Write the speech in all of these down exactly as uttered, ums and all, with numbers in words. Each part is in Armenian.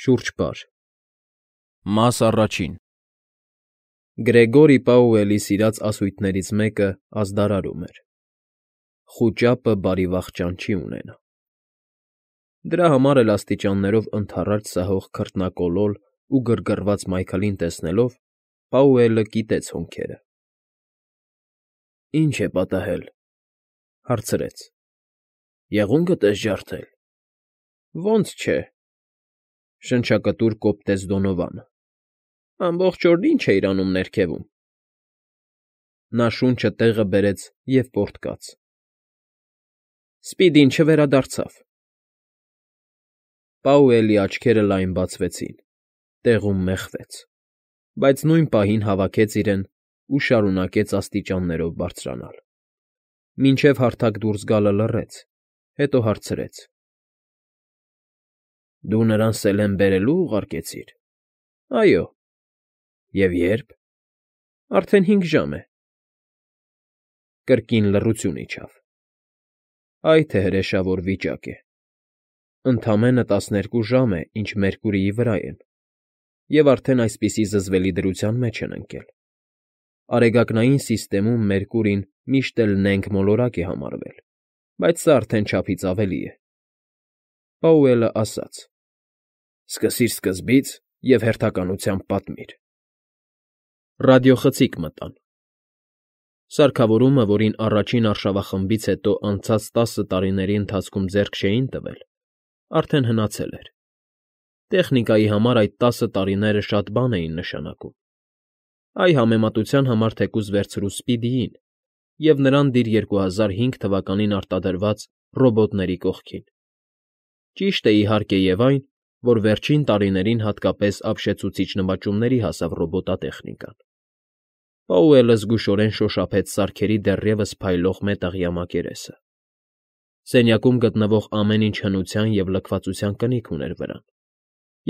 Շուրջպար Մաս առաջին Գրեգորի Պաուելի սիրած ասույթներից մեկը ազդարարում էր. «Խուճապը բարի վախճան չի ունենա»։ Դրա համար էլ աստիճաններով ընդառաջ սահող քրտնակոլոլ ու գրգռված Մայքլին տեսնելով՝ Պաուելը կիտեց հոնքերը։ ֊ Ի՞նչ է պատահել,֊ հարցրեց։ ֊ Եղուն գտես ջարդել։ ֊ Ոնց չէ,֊ շնչակտուր կոպտեց Դոնովանը։֊ Ամբողջ օրն ի՞նչ էիր անում ներքևում։ Նա շունչը տեղը բերեց և պոռթկաց։ ֊ Սպիդին չվերադարձավ։ Պաուելի աչքերը լայն բացվեցին, տեղում մեխվեց, բայց նույն պահին հավաքեց իրեն ու շարունակեց աստիճաններով բարձրանալ, մինչև հարթակ դուրս գալը լռեց, հետո հարցրեց. ֊ Դու նրան Սելեն բերելո՞ւ ուղարկեցիր։ ֊ Այո։ ֊ Եվ ե՞րբ։ ֊ Արդեն հինգ ժամ է։ Կրկին լռություն իջավ։ Այ թե հրեշավոր վիճակ է… Ընդամենը տասներկու ժամ է, ինչ Մերկուրիի վրա են, և արդեն այսպիսի զզվելի դրության մեջ են ընկել։ Արեգակնային սիստեմում Մերկուրին միշտ էլ նենգ մոլորակ է համարվել, բայց սա արդեն չափից ավելի է։ Պաուելը ասաց. ֊ Սկսիր սկզբից և հերթականությամբ պատմիր։ Ռադիոխցիկ մտան։ Սարքավորումը, որին առաջին արշավախմբից հետո անցած տասը տարիների ընթացքում ձեռք չէին տվել, արդեն հնացել էր։ Տեխնիկայի համար այդ տասը տարիները շատ բան էին նշանակում։ Այ համեմատության համար թեկուզ վերցրու Սպիդիին և նրան դիր երկու հազար հինգ թվականին արտադրված ռոբոտների կողքին։ Ճիշտ է, իհարկե, և այն, որ վերջին տարիներին հատկապես ապշեցուցիչ նվաճումների հասավ ռոբոտատեխնիկան։ Պաուելը զգուշորեն շոշափեց սարքերի դեռևս փայլող մետաղյա մակերեսը։ Սենյակում գտնվող ամեն ինչ հնության և լքվածության կնիք ուներ վրան,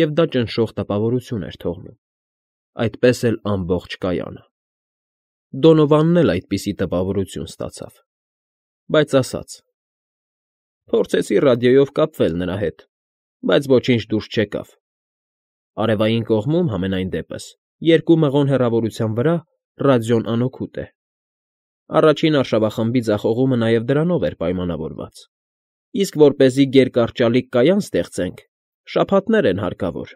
և դա ճնշող տպավորություն էր թողնում, այդպես էլ ամբողջ կայանը։ Դոնովանն էլ այդպիսի տպավորություն ստացավ, բայց ասաց. Փորձեցի ռադիոյով կապվել նրա հետ, բայց ոչինչ դուրս չեկավ։ Արևային կողմում, համենայն դեպս, երկու մղոն հեռավորության վրա ռադիոն անօգուտ է։ Առաջին արշավախմբի ձախողումը նաև դրանով էր պայմանավորված, իսկ որպեսզի գերկարճալիկ կայան ստեղծենք, շաբաթներ են հարկավոր։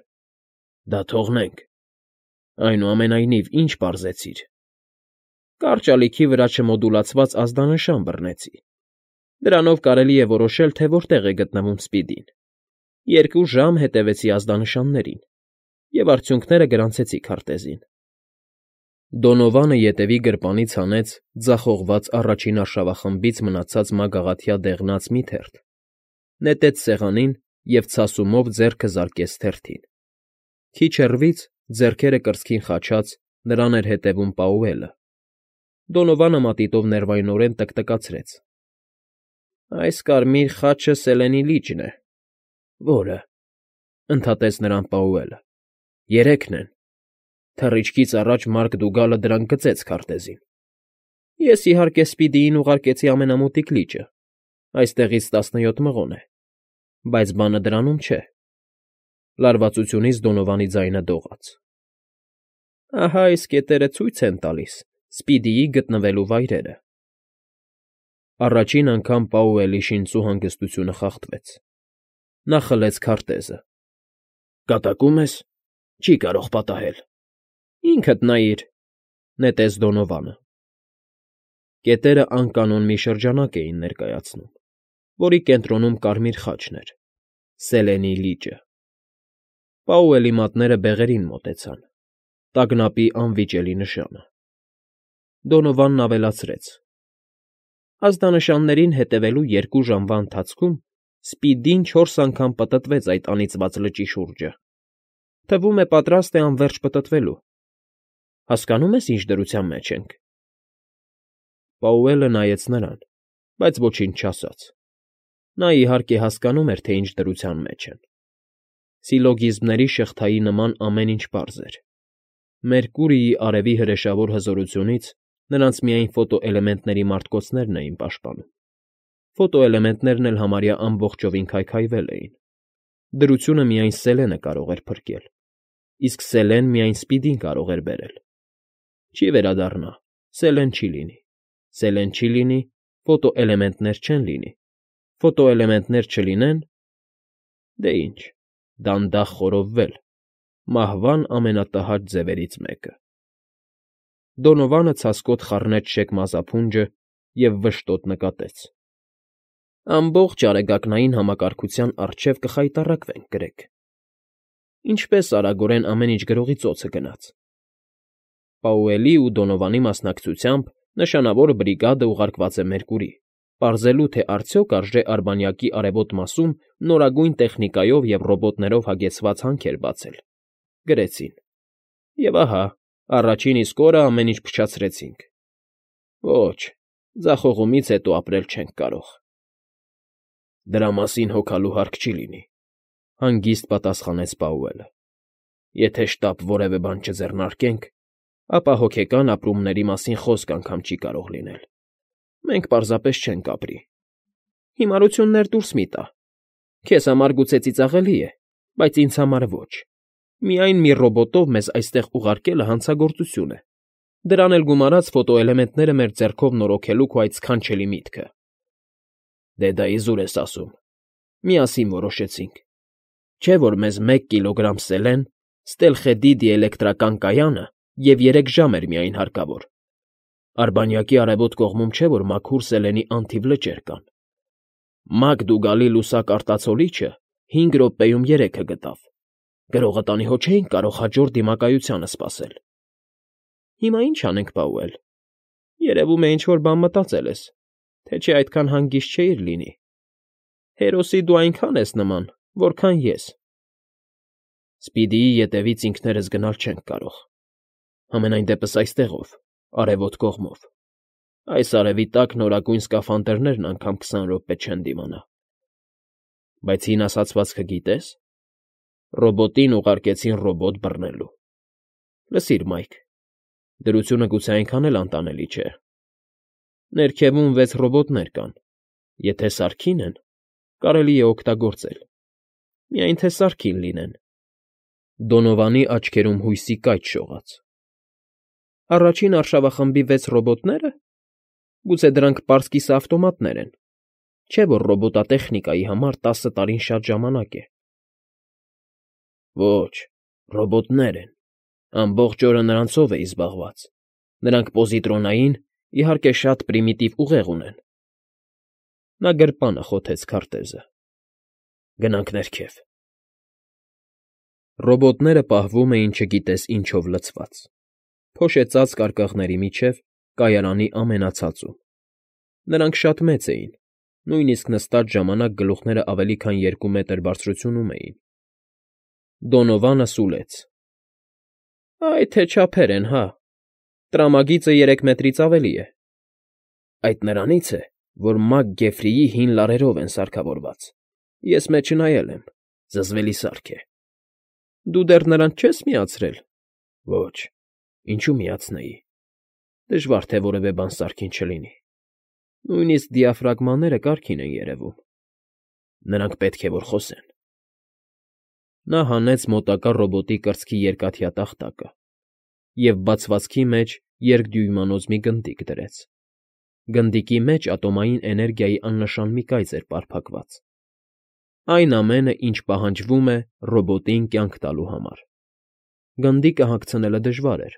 Դա թողնենք… Այնուամենայնիվ, ինչ պարզեցիր։ Կարճալիքի վրա չմոդուլացված ազդանշան բռնեցի։ Դրանով կարելի է որոշել, թե որտեղ է գտնվում Սպիդին։ Երկու ժամ հետևեցի ազդանշաններին և արդյունքները գրանցեցի քարտեզին։ Դոնովանը ետևի գրպանից հանեց ձախողված առաջին արշավախմբից մնացած մագաղաթյա դեղնած մի թերթ, նետեց սեղանին և ցասումով ձեռքը զարկեց թերթին։ Քիչ հեռվից, ձեռքերը կրծքին խաչած, նրան էր հետևում Պաուելը։ Դոնովանը մատիտով ներվայնորեն տկտկացրեց. ֊ Այս կարմիր խաչը Սելենի լիճն է։ ֊ Որը,֊ ընդհատեց նրան Պաուելը,֊ երեքն են… Թռիչքից առաջ Մարկ Դուգալը դրանք գծեց քարտեզին։ Ես, իհարկե, Սպիդիին ուղարկեցի ամենամոտիկ լիճը, այստեղից տասնյոթ մղոն է, բայց բանը դրանում չէ… Լարվածությունից Դոնովանի ձայնը դողաց։ Ահա այս կետերը ցույց են տալիս Սպիդիի գտնվելու վայրերը… Առաջին անգամ Պաուելի շինծու հանգստությունը խախտվեց։ Նա խլեց քարտեզը։ ֊ Կատակում ես, չի կարող պատահել։ ֊ Ինքդ նայիր,֊ նետեց Դոնովանը։ Կետերը անկանոն մի շրջանակ էին ներկայացնում, որի կենտրոնում կարմիր խաչն էր՝ Սելենի լիճը։ Պաուելի մատները բեղերին մոտեցան, տագնապի անվիճելի նշանը։ Դոնովանն ավելացրեց. Ազդանշաններին հետևելու երկու ժամվա ընթացքում Սպիդին չորս անգամ պտտվեց այդ անիծված լճի շուրջը։ Թվում է, պատրաստ է անվերջ պտտվելու… Հասկանո՞ւմ ես, ինչ դրության մեջ ենք։ Պաուելը նայեց նրան, բայց ոչինչ չասաց։ Նա, իհարկե, հասկանում էր, թե ինչ դրության մեջ են։ Սիլոգիզմների շղթայի նման ամեն ինչ պարզ էր։ Մերկուրիի արևի հրեշավոր հզորությունից նրանց միայն ֆոտոէլեմենտների մարտկոցներն էին պաշտպանում։ Ֆոտոէլեմենտներն էլ համարյա ամբողջովին քայքայվել էին։ Դրությունը միայն Սելենը կարող էր փրկել, իսկ Սելեն միայն Սպիդին կարող էր բերել։ Չի վերադառնա, Սելեն չի լինի, Սելեն չի լինի, ֆոտոէլեմենտներ չեն լինի, ֆոտոէլեմենտներ չլինեն, դե ինչ, դանդաղ խորովվել, մահվան ամենատհաճ ձևերից մեկը։ Դոնովանը ցասկոտ խառնեց շեք մազափունջը և վշտոտ նկատեց. «Ամբողջ արեգակնային համակարգության առջև կխայտառակվենք, գրեգ»։ Ինչպես արագորեն ամեն ինչ գրողի ծոցը գնաց։ Պաուելի ու Դոնովանի մասնակցությամբ նշանավոր բրիգադը ուղարկված է Մերկուրի, պարզելու, թե արդյոք արժե Արբանյակի արևոտ մասում նորագույն տեխնիկայով և ռոբոտներով հագեցված հանքեր բացել, գրեցին։ Եվ ահա, առաջին իսկ օրը ամեն ինչ փչացրեցինք։ Ոչ, ձախողումից հետո ապրել չենք կարող։ Դրա մասին հոգալու հարկ չի լինի, հանգիստ պատասխանեց Պաուելը։ Եթե շտապ որևէ բան չձեռնարկենք, ապա հոգեկան ապրումների մասին խոսք անգամ չի կարող լինել։ Մենք պարզապես չենք ապրի։ Հիմարություններ դուրս մի տա։ Քեզ համար գուցե ծիծաղելի է, բայց ինձ համար ոչ։ Միայն մի ռոբոտով մեզ այստեղ ուղարկելը հանցագործություն է։ Դրան էլ գումարած ֆոտոէլեմենտները մեր ձեռքով նորոգելու քո այդ սքանչելի միտքը։ Դե դա իզուր ես ասում։ Միասին որոշեցինք։ Չէ՞ որ մեզ մեկ կիլոգրամ սելեն, ստելխեդի դիէլեկտրական կայանը և երեք ժամ էր միայն հարկավոր։ Արբանյակի արևոտ կողմում չէ՞ որ մաքուր սելենի անթիվ լճեր կան։ Մակ Դուգալի լուսակ արտացոլիչը հինգ րոպեում երեքը գտավ։ Գրողը տանի հո չէինք կարող հաջորդ դիմակայությանը սպասել։ Հիմա ինչ անենք, Պաուել։ Երևում է ինչ֊որ բան մտածել ես, թե չէ այդքան հանգիստ չէիր լինի։ Հերոսի դու այնքան ես նման, որքան ես։ Սպիդիի ետևից ինքներս գնալ չենք կարող։ Համենայն դեպս այստեղով, արևոտ կողմով։ Այս արևի տակ նորագույն սկաֆանդրներն անգամ քսան րոպե չեն դիմանա։ Բայց հին ասացվածքը գիտե՞ս։ Ռոբոտին ուղարկեցին ռոբոտ բռնելու։ Լսիր, Մայք, դրությունը գուցե այնքան էլ անտանելի չէ։ Ներքևում վեց ռոբոտներ կան։ Եթե սարքին են, կարելի է օգտագործել։ Միայն թե սարքին լինեն։ Դոնովանի աչքերում հույսի կայծ շողաց։ Առաջին արշավախմբի վեց ռոբոտները։ Գուցե դրանք պարզ կիսաավտոմատներ են։ Չէ՞ որ ռոբոտատեխնիկայի համար տասը տարին շատ ժամանակ է։ Ոչ, ռոբոտներ են։ Ամբողջ օրը նրանցով էի զբաղված։ Նրանք պոզիտրոնային, իհարկե, շատ պրիմիտիվ ուղեղ ունեն։ Նա գրպանը խոթեց քարտեզը։ Գնանք ներքև։ Ռոբոտները պահվում էին չգիտես ինչով լցված։ Փոշեցած կարկախների միջև, կայարանի ամենացածում։ Նրանք շատ մեծ էին, նույնիսկ նստած ժամանակ գլուխները ավելի քան երկու մետր բարձրությունում էին։ Դոնովանը սուլեց. Այ թե չափեր են, հա։ Տրամագիծը երեք մետրից ավելի է։ Այդ նրանից է, որ Մակ֊Գեֆրիի հին լարերով են սարքավորված։ Ես մեջը նայել եմ, զզվելի սարք է։ Դու դեռ նրանց չես միացրել։ Ոչ, ինչու միացնեի։ Դժվար թե որևէ բան սարքին չլինի։ Նույնիսկ դիաֆրագմաները կարգին են երևում։ Նրանք պետք է որ խոսեն։ Նա հանեց մոտակա ռոբոտի կրծքի երկաթյա տախտակը և բացվածքի մեջ երկդյույմանոց մի գնդիկ դրեց։ Գնդիկի մեջ ատոմային էներգիայի աննշան մի կայծ էր պարփակված։ Այն ամենը, ինչ պահանջվում է ռոբոտին կյանք տալու համար։ Գնդիկը հագցնելը դժվար էր,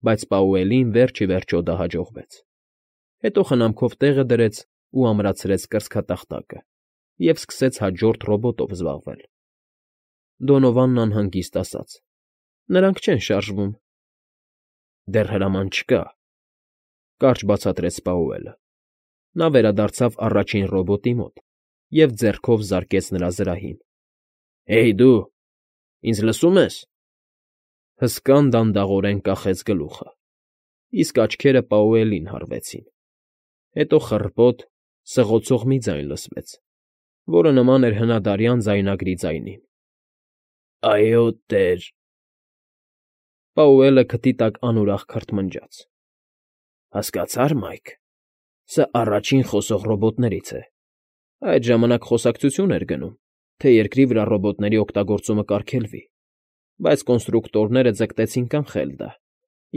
բայց Պաուելին վերջ ի վերջո դա հաջողվեց։ Հետո խնամքով տեղը դրեց ու ամրացրեց կրծքատախտակը և սկսեց հաջորդ ռոբոտով զբաղվել։ Դոնովանն անհանգիստ ասաց. Նրանք չեն շարժվում։ Դեռ հրաման չկա, կարճ բացատրեց Պաուելը։ Նա վերադարձավ առաջին ռոբոտի մոտ և ձեռքով զարկեց նրա զրահին։ Հեյ դու, ինձ լսո՞ւմ ես։ Հսկան դանդաղորեն կախեց գլուխը, իսկ աչքերը Պաուելին հառվեցին։ Հետո խռպոտ, սղոցող մի ձայն լսվեց, որը նման էր հնադարյան ձայնագրի ձայնին։ Այո, տեր։ Պաուելը քթի տակ անուրախ քրթմնջաց։ Հասկացա՞ր, Մայք, սա առաջին խոսող ռոբոտներից է։ Այդ ժամանակ խոսակցություն էր գնում, թե երկրի վրա ռոբոտների օգտագործումը կարգելվի, բայց կոնստրուկտորները ձգտեցին կանխել դա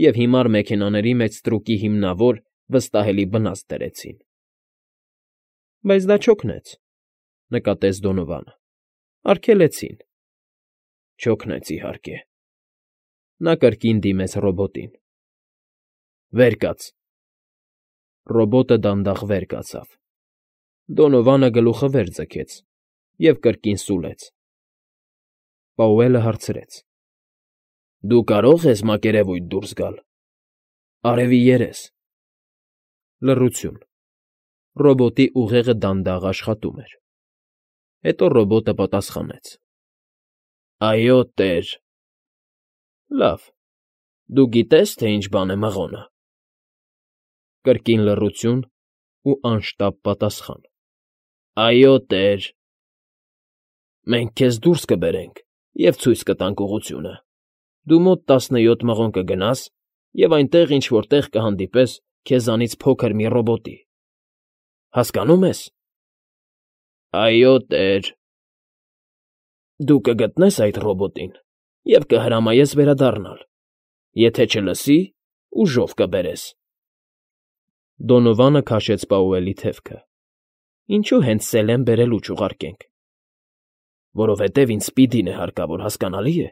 և հիմար մեքենաների մեջ ստրուկի հիմնավոր, վստահելի բնազդ դրեցին։ ֊ Բայց դա չօգնեց,֊ նկատեց Դոնովանը։֊ Արգելեցին։ ֊ Չօգնեց, իհարկե…֊ Նա կրկին դիմեց ռոբոտին։ ֊ Վեր կաց… Ռոբոտը դանդաղ վեր կացավ։ Դոնովանը գլուխը վեր ձգեց և կրկին սուլեց։ Պաուելը հարցրեց. ֊ Դու կարո՞ղ ես մակերևույթ դուրս գալ… Արևի երես… Լռություն։ Ռոբոտի ուղեղը դանդաղ աշխատում էր։ Հետո ռոբոտը պատասխանեց. ֊ Այո, տեր… ֊ Լավ… Դու գիտե՞ս, թե ինչ բան է մղոնը… Կրկին լռություն ու անշտապ պատասխան. ֊ Այո, տեր… ֊ Մենք քեզ դուրս կբերենք և ցույց կտանք ուղղությունը… Դու մոտ տասնյոթ մղոն կգնաս և այնտեղ ինչ֊որ տեղ կհանդիպես քեզանից փոքր մի ռոբոտի… Հասկանո՞ւմ ես։ ֊ Այո, տեր… ֊ Դու կգտնես այդ ռոբոտին և կհրամայես վերադառնալ… Եթե չլսի, ուժով կբերես… Դոնովանը քաշեց Պաուելի թևքը։ ֊ Ինչո՞ւ հենց Սելեն բերելու չուղարկենք։ ֊ Որովհետև ինձ Սպիդին է հարկավոր, հասկանալի է…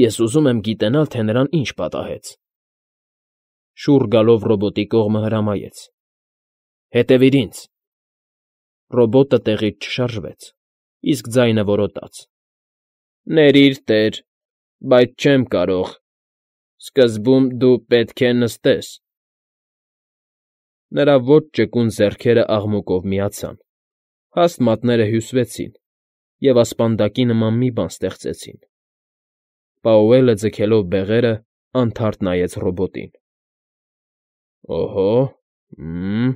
Ես ուզում եմ գիտենալ, թե նրան ինչ պատահեց… Շուռ գալով ռոբոտի կողմը հրամայեց. ֊ Հետևիր ինձ… Ռոբոտը տեղից չշարժվեց, իսկ ձայնը որոտաց. ֊ Ներիր, տեր… Բայց չեմ կարող… Սկզբում դու պետք է նստես… Նրա ոչ ճկուն ձեռքերն աղմուկով միացան, հաստ մատները հյուսվեցին և ասպանդակի նման մի բան ստեղծեցին։ Պաուելը, ձգելով բեղերը, անթարթ նայեց ռոբոտին։ ֊ Օհո՜… Հը՜մ…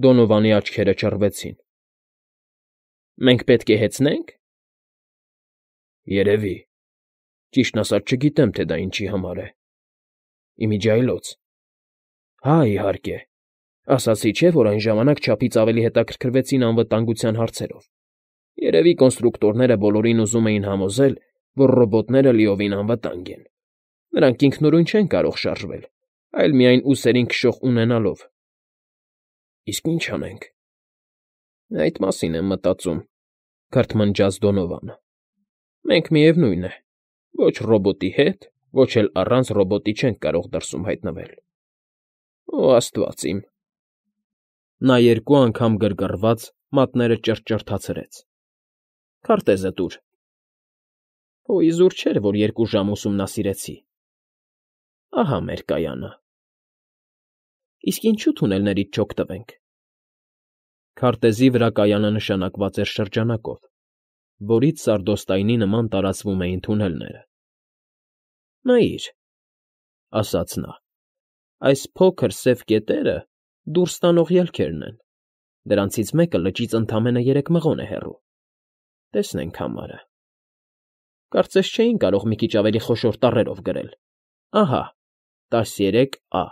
Դոնովանի աչքերը ճռվեցին։ ֊ Մենք պետք է հեծնե՞նք։ ֊ Երևի… Ճիշտն ասած, չգիտեմ, թե դա ինչի համար է… Ի միջի այլոց… Հա, իհարկե… Ասացի չէ, որ այն ժամանակ չափից ավելի հետաքրքրվեցին անվտանգության հարցերով… Երևի կոնստրուկտորները բոլորին ուզում էին համոզել, որ ռոբոտները լիովին անվտանգ են… Նրանք ինքնուրույն չեն կարող շարժվել, այլ միայն ուսերին քշող ունենալով… Իսկ ի՞նչ անենք… ֊ Այդ մասին եմ մտածում,֊ քրթմնջաց Դոնովանը։֊ Մենք, միևնույն է, ոչ ռոբոտի հետ, ոչ էլ առանց ռոբոտի չենք կարող դրսում հայտնվել… Օ աստված իմ… Նա երկու անգամ գրգռված մատները ճռճռթացրեց։ ֊ Քարտեզը տուր… Հո իզուր չէր, որ երկու ժամ ուսումնասիրեցի… Ահա մեր կայանը… Իսկ ինչո՞ւ թունելներից չօգտվենք… Քարտեզի վրա կայանը նշանակված էր շրջանակով, որից սարդոստայնի նման տարածվում էին թունելները։ ֊ Նայիր,֊ ասաց նա,֊ այս փոքր սև կետերը դուրս տանող ելքերն են, դրանցից մեկը լճից ընդամենը երեք մղոն է հեռու… Տեսնենք համարը… Կարծես չէին կարող մի քիչ ավելի խոշոր տառերով գրել… Ահա, տասներեք ա…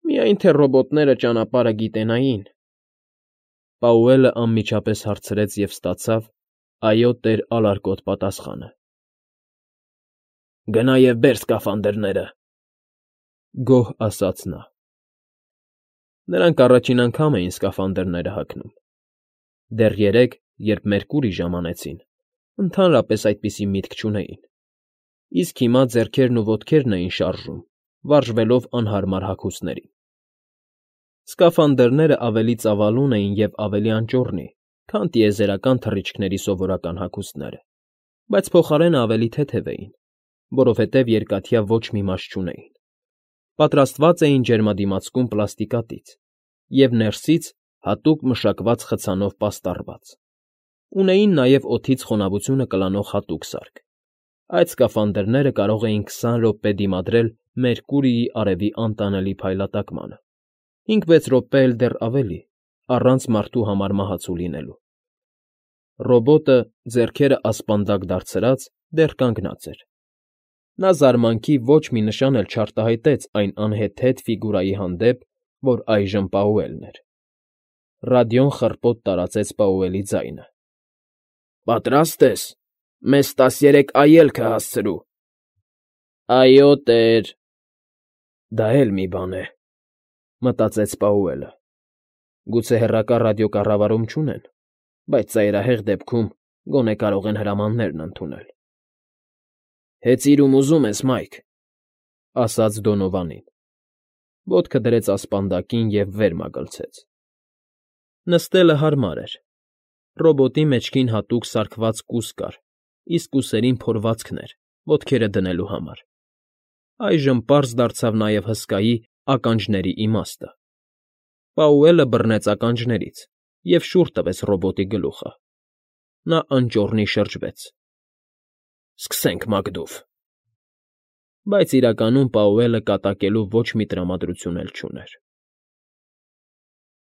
Միայն թե ռոբոտները ճանապարհը գիտենային… Պաուելը անմիջապես հարցրեց և ստացավ «Այո, տեր» ալարկոտ պատասխանը։ ֊ Գնա և բեր սկաֆանդրները,֊ գոհ ասաց նա։ Նրանք առաջին անգամ էին սկաֆանդրները հագնում։ Դեռ երեկ, երբ Մերկուրի ժամանեցին, ընդհանրապես այդպիսի միտք չունեին, իսկ հիմա ձեռքերն ու ոտքերն էին շարժում, վարժվելով անհարմար հագուստներին։ Սկաֆանդրներն ավելի ծավալուն էին և ավելի անճոռնի, քան տիեզերական թռիչքների սովորական հագուստները, բայց փոխարենն ավելի թեթև էին, որովհետև երկաթյա ոչ մի մաս չունեին։ Պատրաստված էին ջերմադիմացկուն պլաստիկատից և ներսից հատուկ մշակված խցանով պաստառված։ Ունեին նաև օդից խոնավությունը կլանող հատուկ սարք։ Այդ սկաֆանդրները կարող էին քսան րոպե դիմադրել Մերկուրիի արևի անտանելի փայլատակմանը, հինգ֊վեց րոպե էլ դեռ ավելի, առանց մարդու համար մահացու լինելու։ Ռոբոտը, ձեռքերը ասպանդակ դարձրած, դեռ կանգնած էր։ Նա զարմանքի ոչ մի նշան էլ չարտահայտեց այն անհեթեթ ֆիգուրայի հանդեպ, որ այժմ Պաուելն էր։ Ռադիոն խռպոտ տարածեց Պաուելի ձայնը։ Պատրաստ ես։ Մեզ տասներեք այելք կհասցրու։ ֊ Այո, տեր… Դա էլ մի բան է,֊ մտածեց Պաուելը։ Գուցե հեռակա ռադիոկառավարում չունեն, բայց ծայրահեղ դեպքում գոնե կարող են հրամաններն ընդունել։ ֊ Հեծիր, ում ուզում ես, Մայք,֊ ասաց Դոնովանին։ Ոտքը դրեց ասպանդակին և վեր մագլցեց։ Նստելը հարմար էր։ Ռոբոտի մեջքին հատուկ սարքված կուս կար, իսկ ուսերին փորվածքներ՝ ոտքերը դնելու համար։ Այժմ պարզ դարձավ նաև հսկայի ականջների իմաստը։ Պաուելը բռնեց ականջներից և շուռ տվեց ռոբոտի գլուխը։ Նա անճոռնի շրջվեց։ ֊ Սկսենք, Մակդուֆ… Բայց իրականում Պաուելը կատակելու ոչ մի տրամադրություն էլ չուներ։